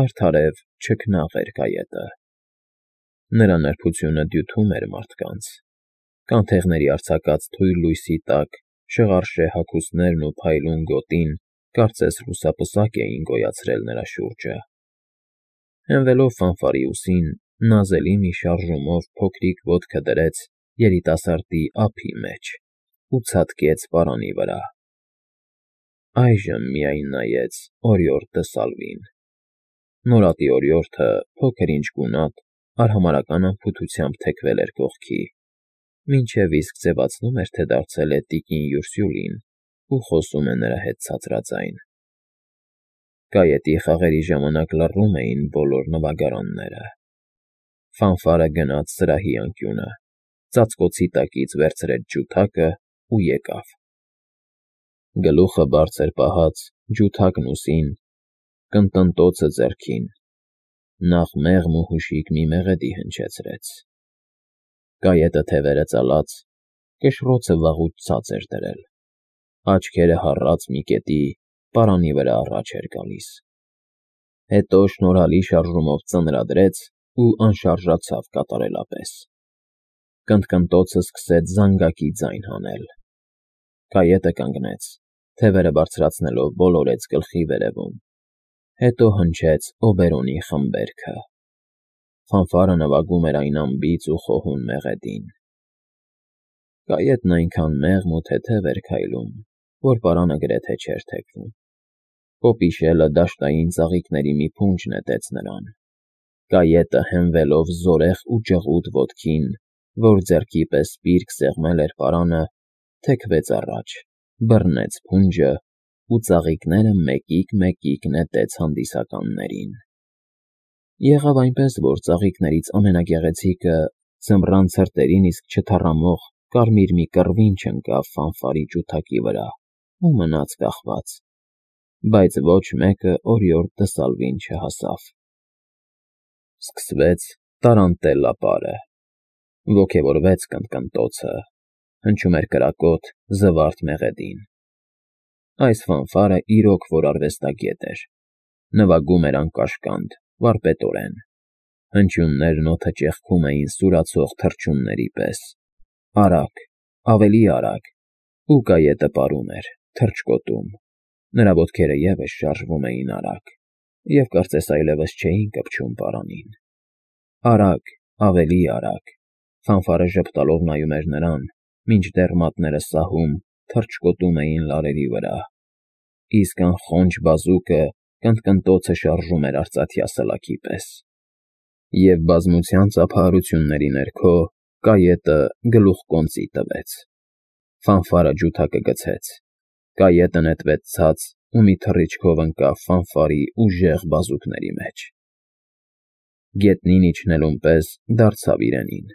Արդարև չքնաղ էր կայետը։ Նրա նրբությունը դյութում էր մարդկանց, կանթեղների արձակած թույլ լույսի տակ շղարշե հագուստներն ու փայլուն գոտին կարծես լուսապսակ էին գոյացրել նրա շուրջը։ Հենվելով ֆանֆարի ուսին, նազելի մի շարժումով փոքրիկ ոտքը դրեց երիտասարդի ափի մեջ ու ցատկեց պարանի վրա։ Այժմ միայն նայեց օրիորդ Դսալվին։ Նորատի օրիորդը փոքր-ինչ գունատ, արհամարհական անփութությամբ թեքվել էր կողքի, մինչև իսկ ձևացնում էր, թե դարձել է տիկին Յուրսյուլին ու խոսում է նրա հետ ցածրաձայն։ Կայետի խաղերի ժամանակ լռում էին բոլոր նվագարանները։ Ֆանֆարը գնաց սրահի անկյունը, ծածկոցի տակից վերցրեց ջութակը ու եկավ։ Գլուխը բարձր պահած, ջութակն ուսին, կնտնտոցը ձեռքին, նախ մեղմ ու հուշիկ մի մեղեդի հնչեցրեց։ Կայետը թևերը ծալած, կշռոցը վաղուց ցած էր դրել, աչքերը հառած մի կետի, պարանի վրա առաջ էր գալիս։ Հետո շնորհալի շարժումով ծնրադրեց ու անշարժացավ կատարելապես։ Կնտնտոցը սկսեց զանգակի ձայն հանել։ Կայետը կանգնեց, թևերը բարձրացնելով ոլորեց գլխի վերևում, հետո հնչեց օբերոնի խմբերքը։ Ֆանֆարը նվագում էր այն անբիծ ու խոհուն մեղեդին։ Կայետն այնքան մեղմ ու թեթև էր քայլում, որ պարանը գրեթե չէր թեքվում։ Պոպի շելը դաշտային ծաղիկների մի փունջ նետեց նրան։ Կայետը հենվելով զորեղ ու ջղուդ ոտքին, որ ձեռքի պես սպիրկ սեղմել էր պարանը, թեքվեց առաջ, բռնեց փունջը ու ծաղիկները մեկիկ նետեց հանդիսականներին։ Եղավ այնպես, որ ծաղիկներից ամենագեղեցիկը ձմռան ցրտերին իսկ չթառամող կարմիր մի կռվին չընկավ ֆանֆարի ջութակի վրա ու մնաց կախված, բայց ոչ մեկը օրիորդ Դսալվին չհասավ։ Սկսվեց տարանտելլա պարը, ոգևորվեց կնտնտոցը, հնչում էր կրակոտ, զվարթ մեղեդին։ Այս ֆանֆարը իրոք որ արվեստագետ էր, նվագում էր անկաշկանդ, վարպետորեն, հնչյուններն օդը ճեղքում էին սուրացող թռչունների պես, արագ, ավելի արագ, ու կայետը պարում էր, թռչկոտում, նրա ոտքերը ևս շարժվում էին արագ, և կարծես այլևս չէին կպչում պարանին։ Արագ, ավելի արագ, ֆանֆարը ժպտալով նայում էր նրան, մինչդեռ մատները սահում, թռչկոտում էին լարերի վրա, իսկ անխոնջ բազուկը կնտնտոցը շարժում էր արծաթյա սլաքի պես։ Եվ բազմության ծափահարությունների ներքո կայետը գլուխկոնծի տվեց։ Ֆանֆարը ջութակը գցեց, կայետը նետվեց ցած ու մի թռիչքով ընկավ ֆանֆարի ուժեղ բազուկների մեջ։ Գետնին իջնելուն պես դարձավ իրենին,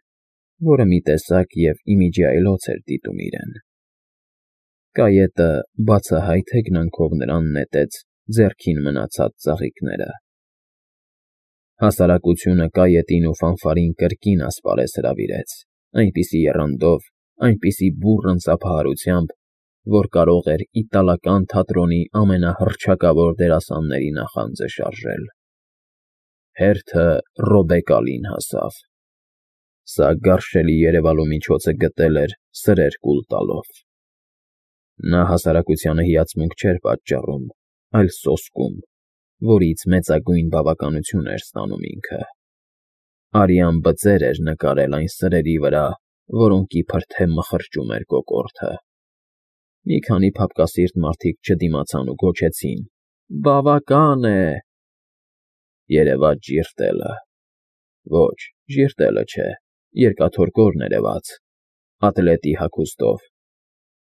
որը մի տեսակ և իմիջի այլոց էր դիտում իրեն։ Կայետը բացահայտ հեգնանքով նրան նետեց ձեռքին մնացած ծաղիկները։ Հասարակությունը կայետին ու ֆանֆարին կրկին ասպարեզ հրավիրեց, այնպիսի եռանդով, այնպիսի բուռն ծափահարությամբ, որ կարող էր իտալական թատրոնի ամենահռչակավոր դերասանների նախանձը շարժել։ Հերթը Ռոբեկալին հասավ։ Սա գարշելի երևալու միջոցը գտել էր սրեր կուլ տալով։ Նա հասարակությանը հիացմունք չէր պատճառում, այլ սոսկում, որից մեծագույն բավականություն էր ստանում ինքը։ Արյան բծեր էր նկարել այն սրերի վրա, որոնք իբր թե մխրճում էր կոկորդը։ Մի քանի փափկասիրտ մարդիկ չդիմացան ու գոչեցին. «Բավական է»։ Երևաց ժիրտելը։ Ոչ, ժիրտելը չէ, երկաթորկով ներևաց, ատլետի հագուստով։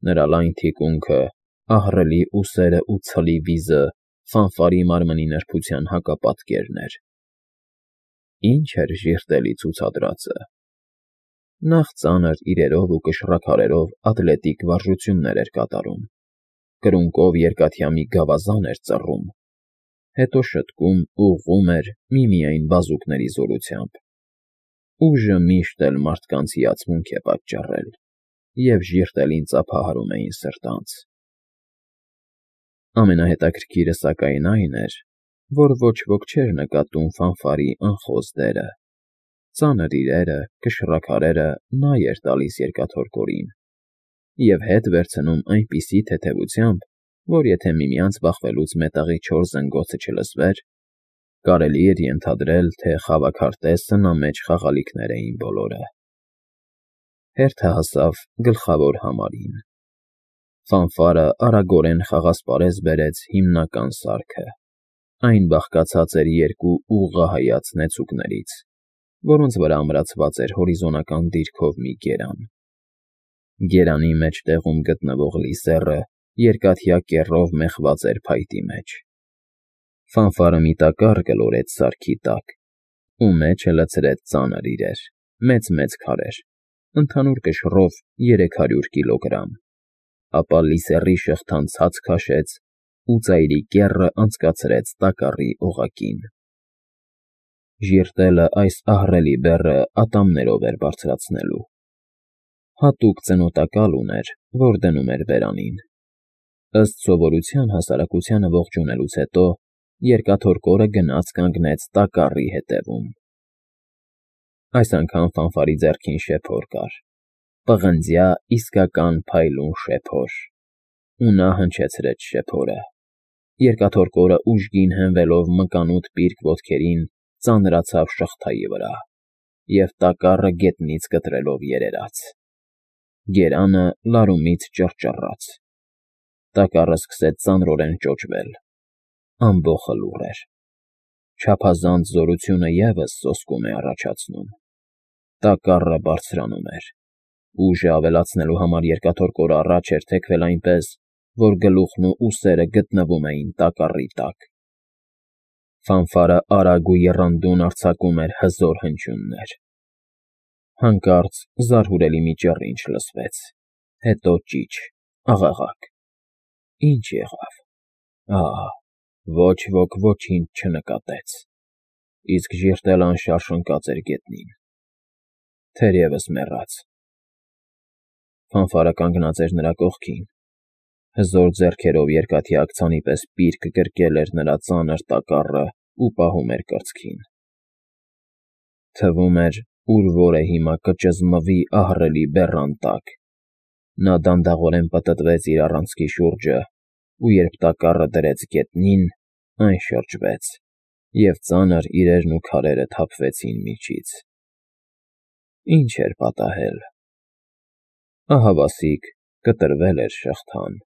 Նրա լայն թիկունքը, ահռելի ուսերն ու ցլի վիզը ֆանֆարի մարմնի նրբության հակապատկերն էր։ Ինչ էր ժիրտելի ցուցադրածը։ Նախ ծանր իրերով ու կշռաքարերով ատլետիկ վարժություններ էր կատարում, կրունկով երկաթյա մի գավազան էր ծռում, հետո շտկում ու ուղղում էր միմիայն բազուկների զորությամբ։ Ուժը միշտ էլ մարդկանց հիացմունք է պատճառել, և ժիրտելին ծափահարում էին սրտանց։ Ամենահետաքրքիրը սակայն այն էր, որ ոչ ոք չէր նկատում ֆանֆարի անխոս դերը։ Ծանր իրերը, կշռաքարերը նա էր տալիս երկաթորկորին և հետ վերցնում այնպիսի թեթևությամբ, որ եթե միմյանց բախվելուց մետաղի 4 զնգոցը չլսվեր, կարելի էր ենթադրել, թե խավաքարտեզը նա մեջ խաղալիքներ էին բոլորը։ Հերթը հասավ գլխավոր համարին։ Ֆանֆարը արագորեն խաղասպարեզ բերեց հիմնական սարքը։ Այն բաղկացած էր 2 ուղղահայաց նեցուկներից, որոնց վրա ամրացված էր հորիզոնական դիրքով մի գերան։ Գերանի մեջտեղում գտնվող լիսեռը երկաթյա կեռով մեխված էր փայտի մեջ։ Ֆանֆարը մի տակառ գլորեց սարքի տակ, ու մեջը լցրեց ծանր իրեր, մեծ քարեր, ընդհանուր կշռով 300 կիլոգրամ, ապա լիսեռի շղթան ցած քաշեց ու ծայրի կեռը անցկացրեց տակառի օղակին։ Ժիրտելը այս ահռելի բեռը ատամներով էր բարձրացնելու։ Հատուկ ծնոտակալ ուներ, որ դնում էր բերանին։ Ըստ սովորության հասարակությանը ողջունելուց հետո երկաթորկորը գնաց կանգնեց տակառի ետևում։ Այս անգամ Ֆանֆարի ձեռքին շեփոր կար, պղնձյա իսկական փայլուն շեփոր, ու նա հնչեցրեց շեփորը։ Երկաթորկորը ուժգին հենվելով մկանուտ պիրկ ոտքերին ծանրացավ շղթայի վրա և տակառը գետնից կտրելով երերաց։ Գերանը լարումից ճռճռաց։ Տակառը սկսեց ծանրորեն ճոճվել։ Ամբոխը լուռ էր։ Չափազանց զորությունը ևս սոսկում է առաջացնում։ Տակառը բարձրանում էր։ Ուժը ավելացնելու համար երկաթորկորը առաջ էր թեքվել այնպես, որ գլուխն ու ուսերը գտնվում էին տակառի տակ։ Ֆանֆարը արագ ու եռանդուն արձակում էր հզոր հնչյուններ։ Հանկարծ զարհուրելի մի ճռինչ լսվեց, հետո ճիչ, աղաղակ։ Ինչ եղավ։ Ոչ ոք ոչինչ չնկատեց, իսկ ժիրտելը անշարժ ընկած էր գետնին, թերևս մեռած։ Ֆանֆարը կանգնած էր նրա կողքին, հզոր ձեռքերով երկաթյա աքցանի պես պիրկ գրկել էր նրա ծանր տակառը ու պահում էր կրծքին։ Թվում էր, ուր որ է հիմա կճզմվի ահռելի բեռան տակ։ Նա դանդաղորեն պտտվեց իր առանցքի շուրջը, ու երբ տակառը դրեց գետնին, այն շրջվեց, և ծանր իրերն ու քարերը թափվեցին միջից։ Ինչ էր պատահել։ Ահավասիկ կտրվել էր շղթան։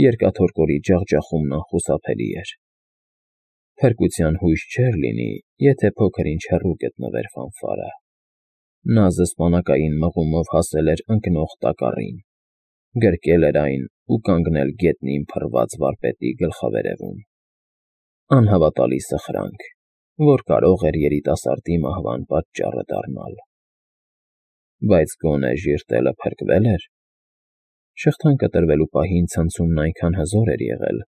Երկաթորկորի ջախջախումն անխուսափելի էր։ Փրկության հույս չէր լինի, եթե փոքր-ինչ հեռու գտնվեր Ֆանֆարը։ Նա զսպանակային մղումով հասել էր ընկնող տակառին, գրկել էր այն ու կանգնել գետնին փռված վարպետի գլխավերևում։ Անհավատալի սխրանք, որ կարող էր երիտասարդի մահվան պատճառը դառնալ։ Բայց գոնե ժիրտելը փրկվել էր։ Շղթան կտրվելու պահին ցնցումն այնքան հզոր էր եղել,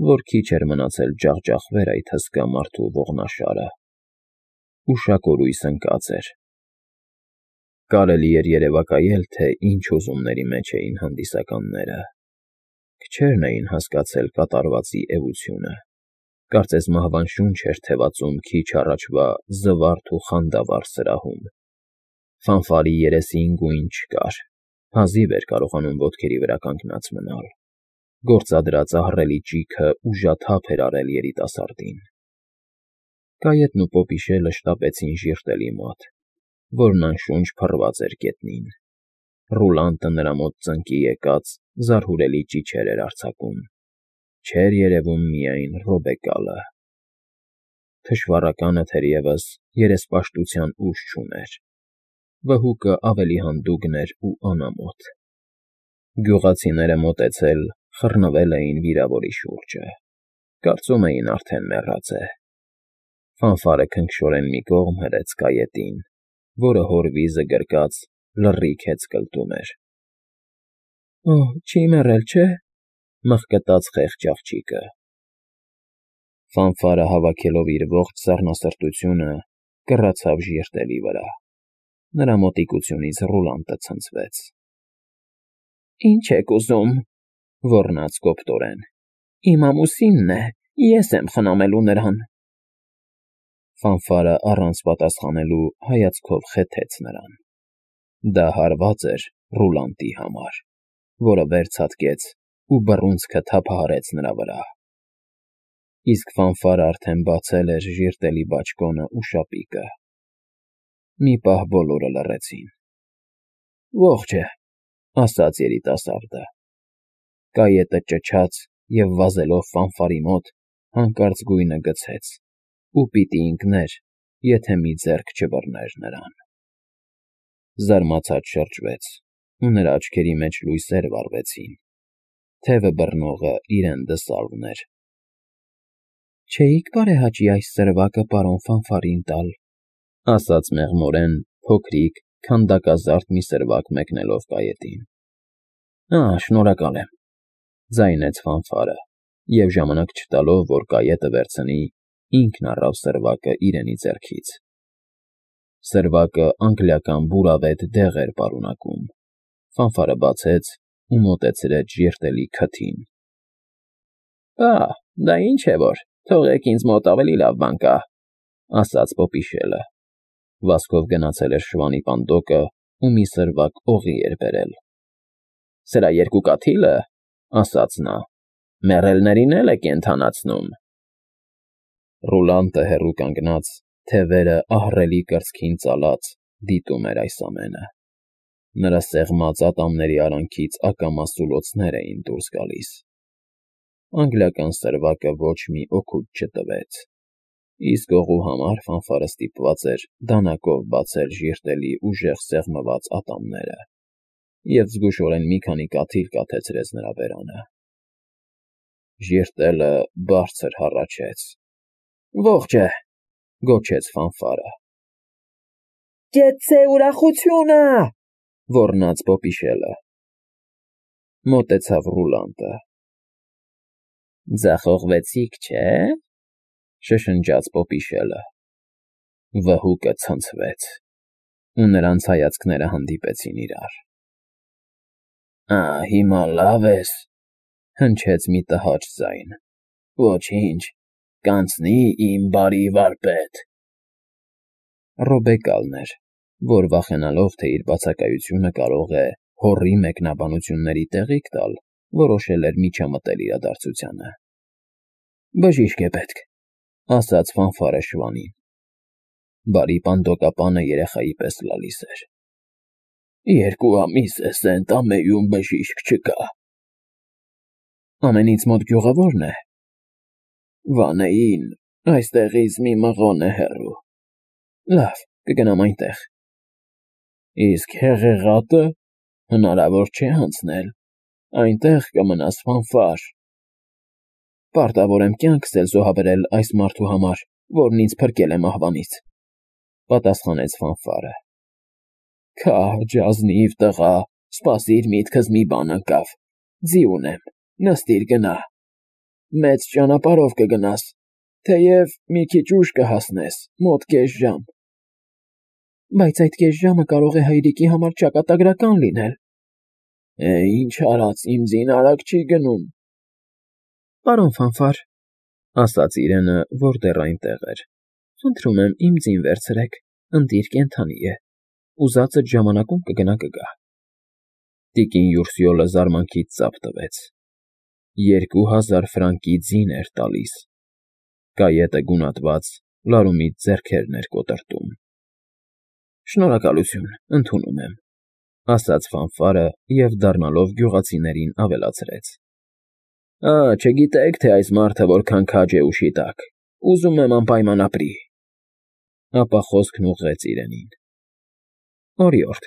որ քիչ էր մնացել ջախջախվեր այդ հսկա մարդու ողնաշարը։ Ուշակորույս ընկած էր։ Կարելի էր երևակայել, թե ինչ հուզումների մեջ էին հանդիսականները։ Քչերն էին հասկացել կատարվածի էությունը։ Կարծես մահվան շունչ էր թևածում քիչ առաջվա զվարթ ու խանդավառ սրահում։ Ֆանֆարի երեսին գույն չկար, հազիվ էր կարողանում ոտքերի վրա կանգնած մնալ։ Գործադրած ահռելի ճիգը ուժաթափ էր արել երիտասարդին։ Կայետն ու Պոպիշելը շտապեցին ժիրտելի մոտ, որն անշունչ փռված էր գետնին։ Ռուլանտը նրա մոտ ծնկի եկած զարհուրելի ճիչեր էր արձակում։ Չէր երևում միայն Ռոբեկալը։ Թշվառականը թերևս երեսպաշտության ուժ չուներ։ Վհուկը ավելի հանդուգն էր ու անամոթ։ Գյուղացիները մոտեցել, խռնվել էին վիրավորի շուրջը։ Կարծում էին արդեն մեռած է։ Ֆանֆարը քնքշորեն մի կողմ հրեց կայետին, որը հոր վիզը գրկած լռիք հեծկլտում էր։ Չի մեռել, չէ՞, մղկտաց խեղճ աղջիկը։ Ֆանֆարը հավաքելով իր ողջ սառնասրտությունը, կռացավ ժիրտելի վրա։ Նրա մոտիկությունից Ռուլանտը ցնցվեց։ Ինչ եք ուզում,- ոռնաց կոպտորեն։ Իմ ամուսինն է, Ես եմ խնամելու նրան։ Ֆանֆարը առանց պատասխանելու հայացքով խեթեց նրան։ Դա հարված էր Ռուլանտի համար, որը վերցատկեց ու բռունցքը թափահարեց նրա վրա։ Իսկ Ֆանֆարը արդեն բացել էր ժիրտելի բաճկոնը ու շապիկը։ Մի պահ բոլորը լռեցին։ «Ողջ է», ասաց երիտասարդը։ Կայետը ճչաց և վազելով Ֆանֆարի մոտ հանկարծ գույնը գցեց ու պիտի ընկներ, եթե մի ձեռք չբռներ նրան։ Զարմացած շրջվեց, ու նրա աչքերի մեջ լույսեր վառվեցին։ Թևը բռնողը իրեն դսալվն էր։ Չէի՞ք բարեհաճի այս սրվակը պարոն Ֆանֆարին տալ, ասաց մեղմորեն փոքրիկ, քանդակազարդ մի սրվակ մեկնելով կայետին։ Շնորհակալ եմ, ձայնեց Ֆանֆարը, և ժամանակ չտալով, որ կայետը վերցնի, ինքն առավ սրվակը իրենի ձեռքից։ Սրվակը անգլիական բուրավետ դեղ էր պարունակում։ Ֆանֆարը բացեց ու մոտեցրեց ժիրտելի քթին։ Դա ինչ է որ, թողեք ինձ մոտ ավելի լավ բան կա, ասաց Պոպիշելը։ Վազքով գնացել էր շվանի պանդոկը ու մի սրվակ օղի էր բերել։ Սրա երկու կաթիլը, ասաց նա, մեռելներին էլ է կենդանացնում։ Ռուլանտը հեռու կանգնած, թևերը ահռելի կրծքին ծալած, դիտում էր այս ամենը։ Նրա սեղմած ատամների արանքից ակամա սուլոցներ էին դուրս գալիս։ Անգլիական սրվակը ոչ մի օգուտ չտվեց, իսկ օղու համար Ֆանֆարը ստիպված էր դանակով բացել ժիրտելի ուժեղ սեղմված ատամները և զգուշորեն մի քանի կաթիլ կաթեցրեց նրա բերանը։ Ժիրտելը բարձր հառաչեց։ Ողջ է, գոչեց Ֆանֆարը։ Կեցցե ուրախությունը, ոռնաց Պոպիշելը։ Մոտեցավ Ռուլանտը։ Ձախողվեցիք, չէ՞, շշնջաց Պոպիշելը։ Վհուկը ցնցվեց, ու նրանց հայացքները հանդիպեցին իրար։ Հիմա լավ ես, հնչեց մի տհաճ ձայն։ Ոչինչ, կանցնի իմ բարի վարպետ։ Ռոբեկալն էր, որ վախենալով, թե իր բացակայությունը կարող է հոռի մեկնաբանությունների տեղիք տալ, որոշել էր միջամտել իրադարձությանը։ Բժիշկ է պետք, ասաց Ֆանֆարը շվանին։ Բարի պանդոկապանը երեխայի պես լալիս էր։ 2 ամիս է Սենտ-Ամեյում բժիշկ չկա։ Ամենից մոտ գյուղը ո՞րն է։ Վանեին, այստեղից մի մղոն է հեռու։ Լավ, կգնամ այնտեղ։ Իսկ Հեղեղատը հնարավոր չէ անցնել, այնտեղ կմնաս Ֆանֆար։ Պարտավոր եմ կյանքս էլ զոհաբերել այս մարդու համար, որն ինձ փրկել է մահվանից, պատասխանեց Ֆանֆարը։ Քա, ջազնիվ տղա, սպասիր միտքս մի բան ընկավ, ձի ունեմ, նստիր գնա, մեծ ճանապարհով կգնաս, թեև մի քիչ ուշ կհասնես, մոտ կես ժամ։ Բայց այդ կես ժամը կարող է հայրիկի համար ճակատագրական լինել։ Ինչ արած, իմ ձին արագ չի գնում։ Պարոն Ֆանֆար, ասաց իրենը, որ դեռ այնտեղ էր, խնդրում եմ իմ ձին վերցրեք, ընտիր կենդանի է, ուզածդ ժամանակում կգա։ Տիկին Յուրսյոլը զարմանքից ծափ տվեց։ 2000 ֆրանկի ձին էր տալիս։ Կայետը գունատված, լարումից ձեռքերն էր կոտրտում։ Շնորհակալություն, ընդունում եմ, ասաց Ֆանֆարը և դառնալով գյուղացիներին ավելացրեց. Չգիտեք, թե այս մարդը որքան քաջ է ուշի տակ, ուզում եմ անպայման ապրի։ Ապա խոսքն ուղղեց իրենին։ Օրիորդ,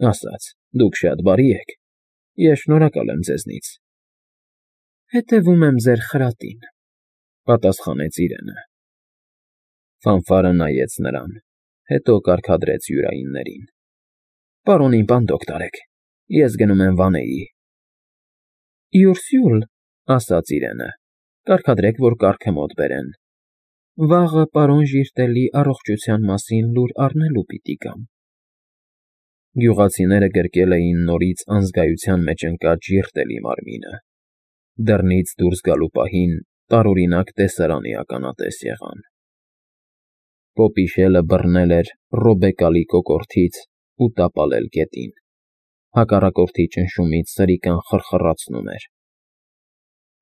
ասաց, դուք շատ բարի եք, ես շնորհակալ եմ ձեզնից։ Հետևում եմ ձեր խրատին, պատասխանեց իրենը։ Ֆանֆարը նայեց նրան, հետո կարգադրեց յուրայիններին։ Պարոնին պանդոկ տարեք, ես գնում եմ Վանեի։ Յուրսյուլ, ասաց իրենը, կարգադրեք, որ կառքը մոտ բերեն։ Վաղը պարոն Ժիրտելի առողջության մասին լուր առնելու պիտի գամ։ Գյուղացիները գրկել էին նորից անզգայության մեջ ընկած Ժիրտելի մարմինը։ Դռնից դուրս գալու պահին տարօրինակ տեսարանի ականատես եղան։ Պոպիշելը բռնել էր Ռոբեկալի կոկորդից ու տապալել գետին, հակառակորդի ճնշումից սրիկան խռխռացնում էր։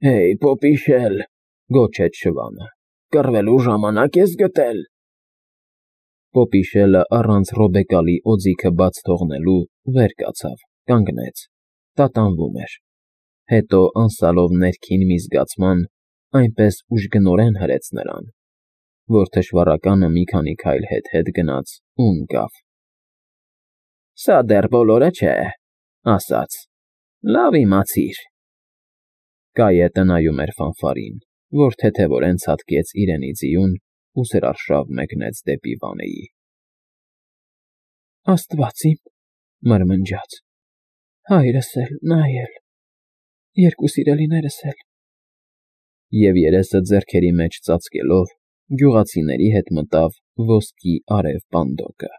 Հեյ, Պոպիշել, Գոչեց շվանը։ կռվելու ժամանակ ես գտել։ Պոպիշելը առանց Ռոբեկալի օձիքը բաց թողնելու վեր կացավ, կանգնեց, տատանվում էր, հետո անսալով ներքին մի զգացման այնպես ուժգնորեն հրեց նրան, որ թշվառականը մի քանի քայլ հետ գնաց ու ընկավ։ Սա դեռ բոլորը չէ, ասաց, լավ իմացիր։ Կայետը նայում էր ֆանֆարին, որ թեթևորեն ցատկեց իրենի ձիուն ու սրարշավ մեկնեց դեպի Վանեի։ Աստված իմ, մրմնջաց, հայրս էլ, նա էլ, երկու սիրելիներս էլ։ Եվ երեսը ձեռքերի մեջ ծածկելով, գյուղացիների հետ մտավ ոսկի արև պանդոկը։